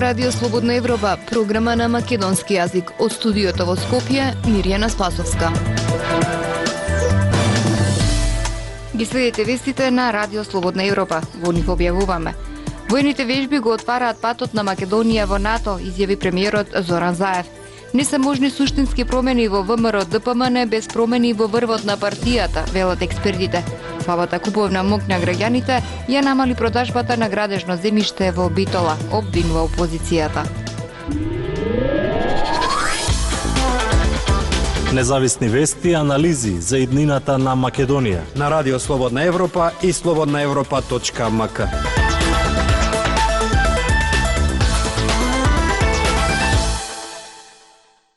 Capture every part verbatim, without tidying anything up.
Радио Слободна Европа, програма на македонски јазик. Од студиото во Скопје, Мирјана Спасовска. Ги следите вестите на Радио Слободна Европа. Во нив објавуваме: војните вежби го отвараат патот на Македонија во НАТО, изјави премиерот Зоран Заев. Не се можни суштински промени во ВМРО Д П М Н без промени во врвот на партијата, велат експертите. Слабата куповна моќ на граѓаните ја намали продажбата на градежно земјиште во Битола, обвинува опозицијата. Независни вести и анализи за иднината на Македонија на Радио Слободна Европа и слободна европа точка м к.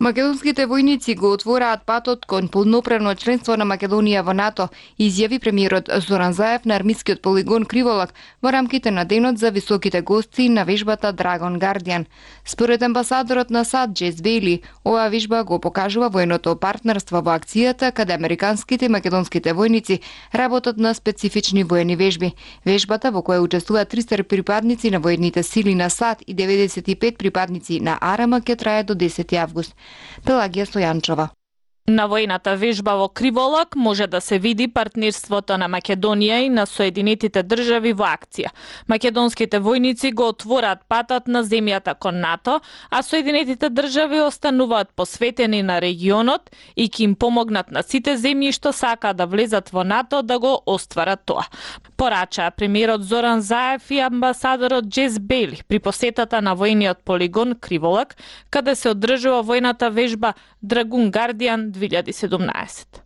Македонските војници го отвораат патот кон полноправно членство на Македонија во НАТО, изјави премиерот Зоран Заев на армискиот полигон Криволак во рамките на денот за високите гости на вежбата Dragon Guardian. Според амбасадорот на САД Джейс Бейли, оваа вежба го покажува војното партнерство во акцијата каде американските и македонските војници работат на специфични воени вежби. Вежбата во која учествуваат триста припадници на воените сили на САД и деветдесет и пет припадници на А Р М ќе трае до десети август. Пелагија Стојанчова. На војната вежба во Криволак може да се види партнирството на Македонија и на Соединетите држави во акција. Македонските војници го отвораат патот на земјата кон НАТО, а Соединетите држави остануваат посветени на регионот и ќе им помогнат на сите земји што сакаат да влезат во НАТО да го остварат тоа. Порачаа премиерот Зоран Заев и амбасадорот Джейс Бейли при посетата на војниот полигон Криволак, каде се одржува војната вежба Dragon Guardian две илјади и седумнаесет.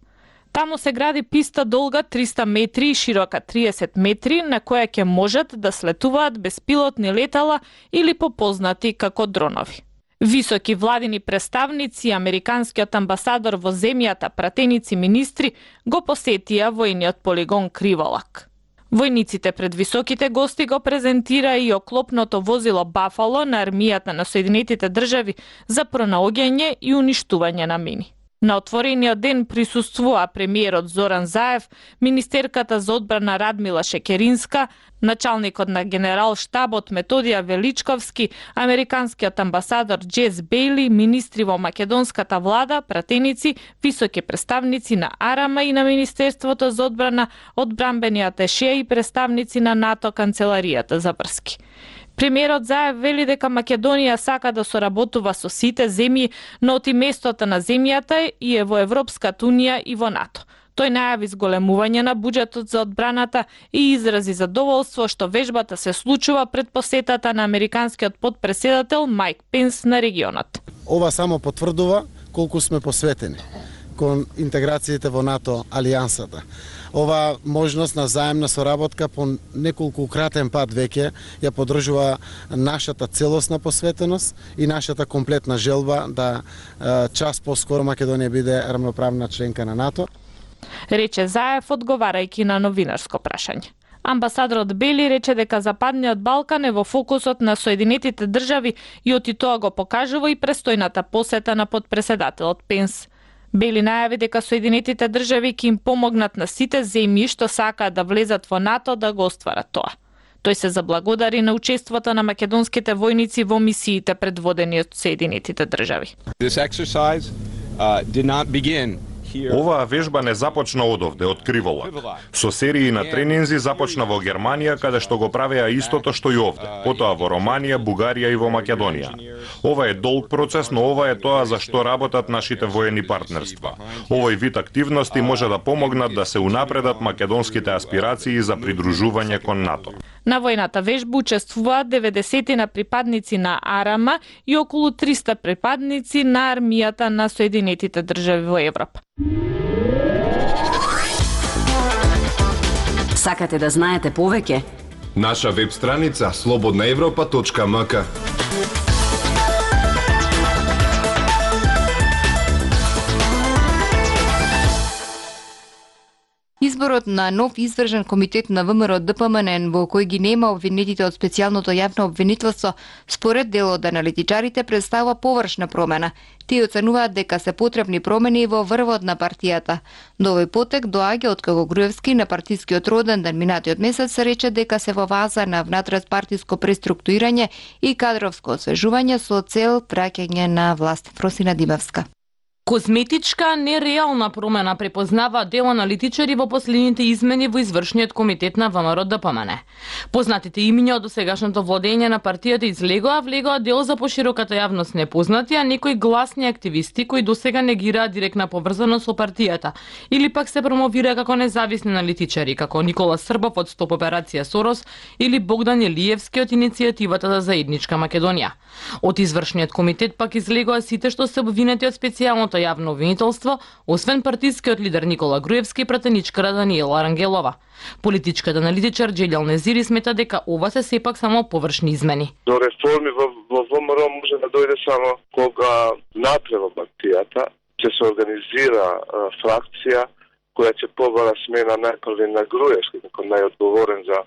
Таму се гради писта долга триста метри и широка триесет метри, на која ќе можат да слетуваат беспилотни летала или попознати како дронови. Високи владини представници и американскиот амбасадор во земјата, пратеници министри, го посетија војниот полигон Криволак. Војниците пред високите гости го презентира и оклопното возило Бафало на армијата на Соединетите држави за пронаоѓање и уништување на мини. На отворениот ден присуствува премиерот Зоран Заев, министерката за одбрана Радмила Шекеринска, началникот на генерал штабот Методија Величковски, американскиот амбасадор Джейс Бейли, министри во македонската влада, пратеници, високи представници на А Р М и на Министерството за одбрана, одбранбени аташе и представници на НАТО канцеларијата за врски. Премиерот Заев вели дека Македонија сака да соработува со сите земји, но оти местото на земјата и е во Европската унија и во НАТО. Тој најави зголемување на буџетот за одбраната и изрази задоволство што вежбата се случува пред посетата на американскиот потпредседател Майк Пенс на регионот. Ова само потврдува колку сме посветени кон интеграциите во НАТО алијансата. Ова можност на заемна соработка по неколку кратен пат веќе ја поддржува нашата целосна посветеност и нашата комплетна желба да час поскоро Македонија биде рамноправна членка на НАТО. Рече Заев одговарајќи на новинарско прашање. Амбасадорот Бели рече дека Западниот Балкан е во фокусот на Соединетите држави и оти тоа го покажува и престојната посета на потпредседателот Пенс. Бели најави дека Соединетите држави ќе им помогнат на сите земји што сакаат да влезат во НАТО да го остварат тоа. Тој се заблагодари на учеството на македонските војници во мисиите предводени од Соединетите држави. This exercise uh, did not begin. Оваа вежба не започна одовде, од Криволак. Со серии на тренинзи започна во Германија, каде што го правеа истото што и овде, потоа во Романија, Бугарија и во Македонија. Ова е долг процес, но ова е тоа за што работат нашите воени партнерства. Овој вид активности може да помогнат да се унапредат македонските аспирации за придружување кон НАТО. На војната вежба учествуваат деветдесет на припадници на А Р М и околу триста припадници на армијата на Соединетите држави во Европа. Сакате да знаете повеќе? Наша веб страница слободна европа точка м к. Из Изборот на нов извршен комитет на ВМРО Д П М Н, во кој ги нема обвинетите од специјалното јавно обвинителство, според дел од аналитичарите представува површна промена. Тие оценуваат дека се потребни промени во врвот на партијата. До овој потек доаѓа откако Груевски на партискиот роден ден минатиот месец се рече дека се во фаза на внатреспартиско преструктурирање и кадровско освежување со цел праќање на власт. Фросина Димевска. Козметичка, нереална промена препознава дел аналитичари во последните измени во извршниот комитет на ВМРО Д П М Н. Познатите имиња од досегашното владење на партијата излегоа, влегоа дел за пошироката јавност непознати, а некои гласни активисти кои досега негираат директна поврзаност со партијата или пак се промовира како независни аналитичари, како Никола Србов од Стоп операција Сорос или Богдан Елиевски од иницијативата за заедничка Македонија. Од извршниот комитет пак излегоа сите што се обвинети од специјалното јавно обвинителство, освен партискиот лидер Никола Груевски и пратеничкара Даниела Рангелова. Политичкиот аналитичар Джелјал Незири смета дека ова се сепак само површни измени. До реформи во, во ВМРО може да дојде само кога напре во партијата ќе се организира а, фракција која ќе побара смена најпрви на Груевски, како најодговорен за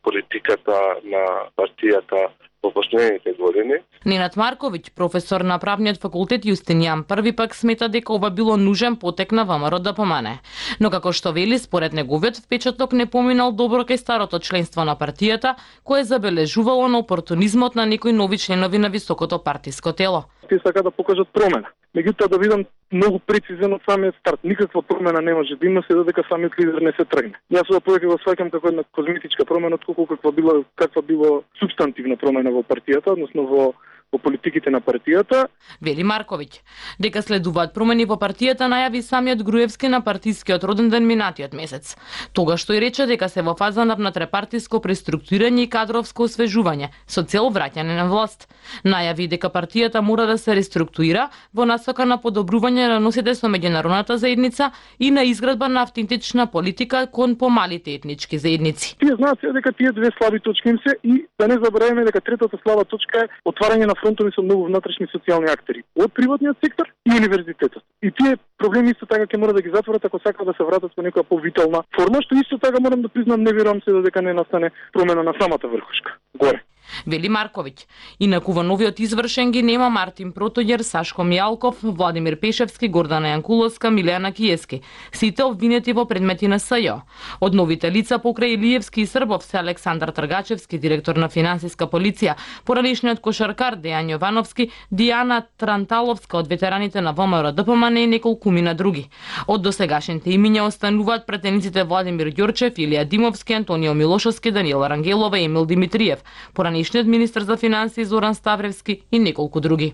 политиката на партијата во последните години. Ненад Марковиќ, професор на правниот факултет Јустинијан Први, пак смета дека ова било нужен потек на ВМРО Д П М Н. Но како што вели, според неговиот впечаток не поминал добро кај старото членство на партијата, кое забележувало на опортунизмот на некои нови членови на високото партиско тело. Тие сака да покажат промена. Меѓутоа да видам многу прецизен од самиот старт. Никаква промена не може да има се додека самиот лидер не се тргне. Јас ова повеќе го сваќам како една козметичка промена, отколку каква било каква било субстантивна промена во партијата, односно во во политиките на партијата. Вели Марковиќ, дека следуваат промени во партијата најави самиот Груевски на партискиот роден ден минатиот месец. Тогаш тој рече дека се во фаза на внатрепартиско преструктурирање и кадровско освежување со цел враќање на власт. Најави дека партијата мора да се реструктурира во насока на подобрување на односите со меѓународната заедница и на изградба на автентична политика кон помалите етнички заедници. Тие знаат се дека тие две слаби точки им се и да не забораваме дека третата слаба точка е отварање на фронтови со многу внатрешни социјални актери од приватниот сектор и универзитетот. И тие проблеми исто така ќе мора да ги затворат ако сакаат да се вратат во некоја повитална форма, што исто така морам да признам, не верувам се дека не настане промена на самата врхушка. Горе. Вели Марковиќ. Инаку во новиот извршен ги нема Мартин Протоѓер, Сашко Мијалков, Владимир Пешевски, Гордана Јанкуловска, Милена Киески. Сите обвинети во предмети на С Ј. Од новите лица покрај Илиевски и Србов се Александар Тргачевски, директор на финансиска полиција, поранишниот кошаркар Дејан Јовановски, Дијана Транталовска од ветераните на ВМРО Д П М Н и неколкумина други. Од досегашните имиња остануваат претениците Владимир Ѓорчев, Илија Димовски, Антонио Милошовски, Даниела Рангелова и Емил Димитриев, поранишниот министер за финансии Зоран Ставревски и неколку други.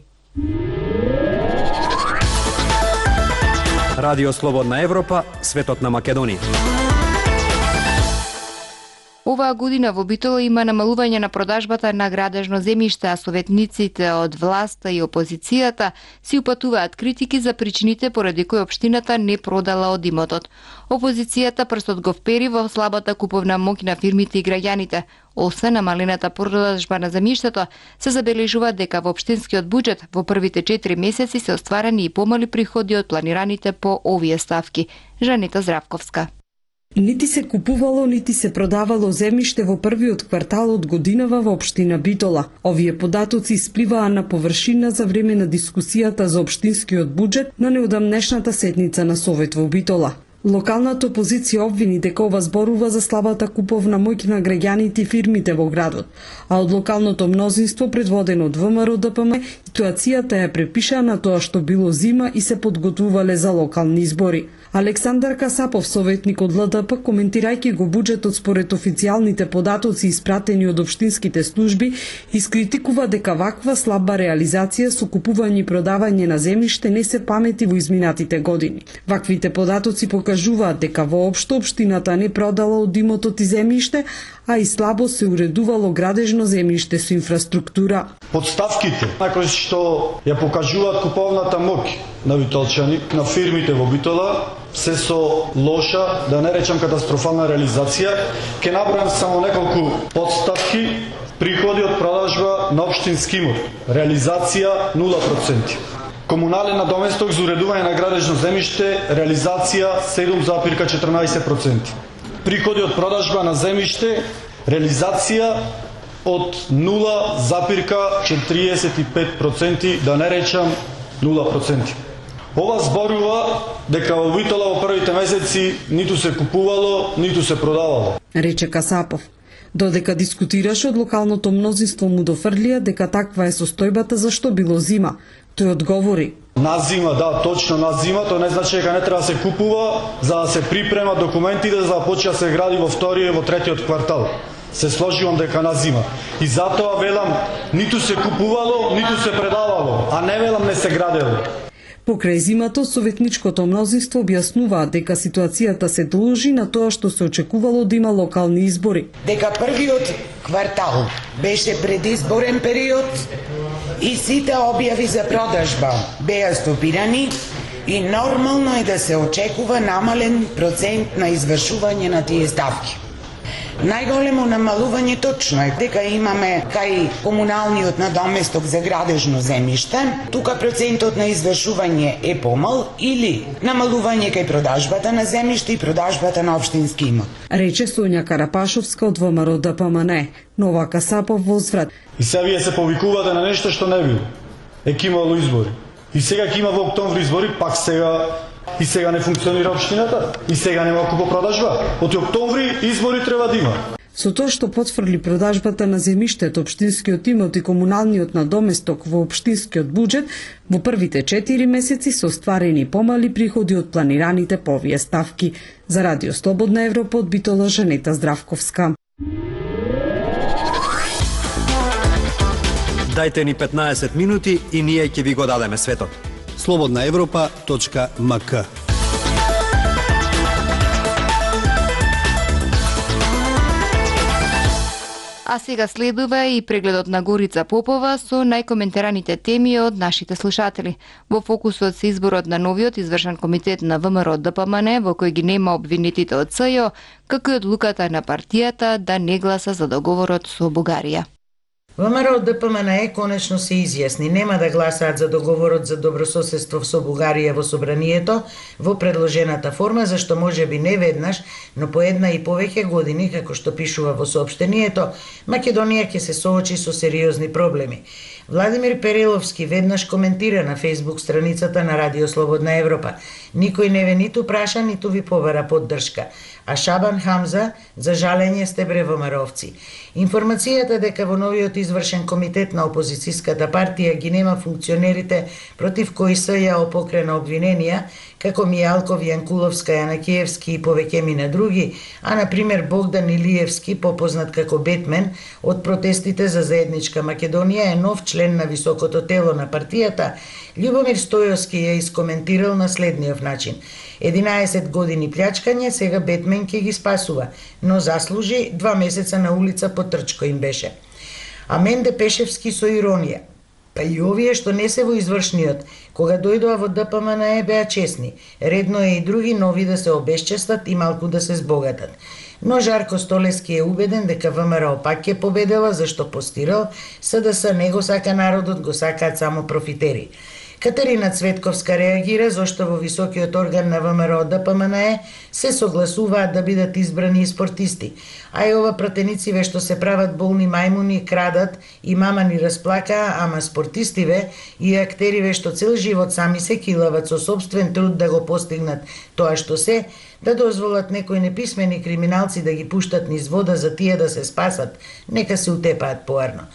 Радио Слободна Европа, светот на Македонија. Оваа година во Битола има намалување на продажбата на градежно земјиште, а советниците од власта и опозицијата си упатуваат критики за причините поради кои општината не продала од имотот. Опозицијата прстот го впери во слабата куповна моќ на фирмите и граѓаните. Освен намалената продажба на земјиштето, се забележува дека во општинскиот буџет во првите четири месеци се остварени и помали приходи од планираните по овие ставки. Жанета Здравковска. Нити се купувало, нити се продавало земјиште во првиот квартал од годинава во општина Битола. Овие податоци испливаа на површина за време на дискусијата за општинскиот буџет на неодамнешната седница на Совет во Битола. Локалната опозиција обвини дека ова зборува за слабата куповна моќ на граѓаните и фирмите во градот, а од локалното мнозинство предводено од ВМРО Д П М ситуацијата ја препиша на тоа што било зима и се подготвувале за локални избори. Александар Касапов, советник од Л Д П, коментирајќи го буџетот според официјалните податоци испратени од општинските служби, искритикува дека ваква слаба реализација со купување и продавање на земјиште не се памети во изминатите години. Ваквите податоци покажуваат дека воопшто општината не продала од имотот и земјиште, а и слабо се уредувало градежно земјиште со инфраструктура. Подставките на кои што ја покажуваат куповната моќ на битолчани, на фирмите во Битола, се со лоша, да не речам катастрофална реализација. Ке набројам само неколку подставки. Приходи од продажба на општински имот. Реализација нула проценти. Комунален надоместок за уредување на градежно земјиште, реализација седум зарез четрнаесет проценти. Приходи од продажба на земјиште, реализација од нула зарез четириесет и пет проценти, да не речам нула проценти. Ова зборува дека во Битола во првите месеци ниту се купувало, ниту се продавало, рече Касапов. Додека дискутираше од локалното мнозинство му дофрлија дека таква е состојбата зашто било зима. Тој одговори: на зима, да, точно на зима, тоа не значи дека не треба да се купува за да се припремат документите за да почне да се гради во вториот и во третиот квартал. Се сложувам дека на зима. И затоа велам, ниту се купувало, ниту се предавало, а не велам не се градело. Покрај зимато, советничкото мнозинство објаснуваа дека ситуацијата се должи на тоа што се очекувало да има локални избори. Дека првиот квартал беше предизборен период и сите објави за продажба беа стопирани и нормално е да се очекува намален процент на извршување на тие ставки. Најголемо намалување точно е дека имаме кај комуналниот надоместок за градежно земјиште, тука процентот на извршување е помал или намалување кај продажбата на земјиште и продажбата на општински имот. Рече Сонја Карапашовска од ВМРО Д П М Н. Нова Касапов возврат. И се вие се повикувате на нешто што не било. Е ки имало избори. И сега ќе има во октомври избори, пак сега и сега не функционира општината, и сега нема купопродажба. Од октомври избори треба да има. Со тоа што потврди продажбата на земјиштето, општинскиот имот и комуналниот надоместок во општинскиот буџет, во првите четири месеци се остварени помали приходи од планираните по овие ставки. За Радио Слободна Европа од Битола, Жанета Здравковска. Дајте ни петнаесет минути и ние ќе ви го дадеме светот. слободна европа точка м к. А сега следува и прегледот на Горица Попова со најкоментираните теми од нашите слушатели. Во фокусот се изборот на новиот извршен комитет на ВМРО Д П М Н, во кој ги нема обвинетите од С Ј О, како и одлуката на партијата да не гласа за договорот со Бугарија. ВМРО Д П М Н конечно се изјасни, нема да гласаат за договорот за добрососедство со Бугарија во собранието во предложената форма, зашто може би не веднаш, но по една и повеќе години, како што пишува во соопштението, Македонија ќе се соочи со сериозни проблеми. Владимир Переловски веднаш коментира на фејсбук страницата на Радио Слободна Европа: никој не ве ниту праша, ниту ви побара поддршка. А Шабан Хамза, за жалење сте ВМРовци. Информацијата дека во новиот извршен комитет на опозицијската партија ги нема функционерите против кои С Ј О покрена обвиненија, како Мијалков, Јанкуловска, Јанакиевски и повеќе мина други, а на пример Богдан Илиевски, попознат како Бетмен, од протестите за заедничка Македонија, е нов член на високото тело на партијата, Љубомир Стојовски ја искоментирал на следниот начин: единаесет години плячкање, сега Бетмен ќе ги спасува, но заслужи два месеца на улица по трчко им беше. А Менде Пешевски со иронија: па и овие што не се во извршниот, кога дојдоа во Д П М Н беа честни, редно е и други нови да се обесчестат и малку да се збогатат. Но Жарко Столески е убеден дека ВМРО пак ќе победела, зашто постирал С Д С не го сака народот, го сакаат само профитери. Катерина Цветковска реагира зашто во високиот орган на ВМРО Д П М Н се согласуваат да бидат избрани и спортисти, а и ова пратенициве што се прават болни мајмуни, крадат и мама ни расплака, ама спортистиве и актериве што цел живот сами се килават со собствен труд да го постигнат тоа што се, да дозволат некои неписмени криминалци да ги пуштат низ вода за тие да се спасат, нека се утепаат поарно.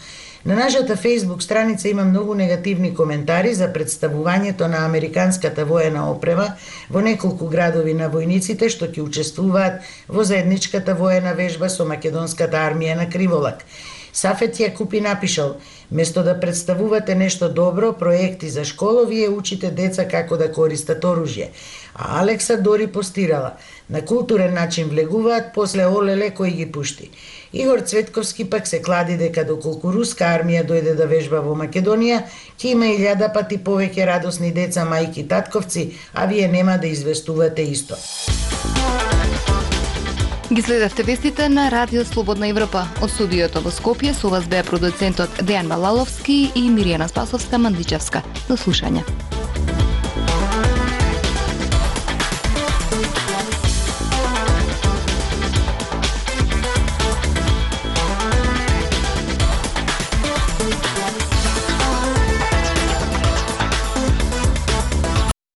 На нашата фејсбук страница има многу негативни коментари за представувањето на американската воена опрема во неколку градови на војниците што ќе учествуваат во заедничката воена вежба со македонската армија на Криволак. Сафет Јакупи напишал: место да представувате нешто добро, проекти за школа, вие учите деца како да користат оружје. А Алекса Дори постирала: на културен начин влегуваат, после олеле кој ги пушти. Игор Цветковски пак се клади дека доколку руска армија дојде да вежба во Македонија, ќе има илјада пати повеќе радосни деца, мајки, татковци, а вие нема да известувате исто. Ги следевте вестите на Радио Слободна Европа. Од студиото во Скопје со вас беа продуцентот Дејан Балаловски и Миријана Спасовска-Мандичевска. До слушање.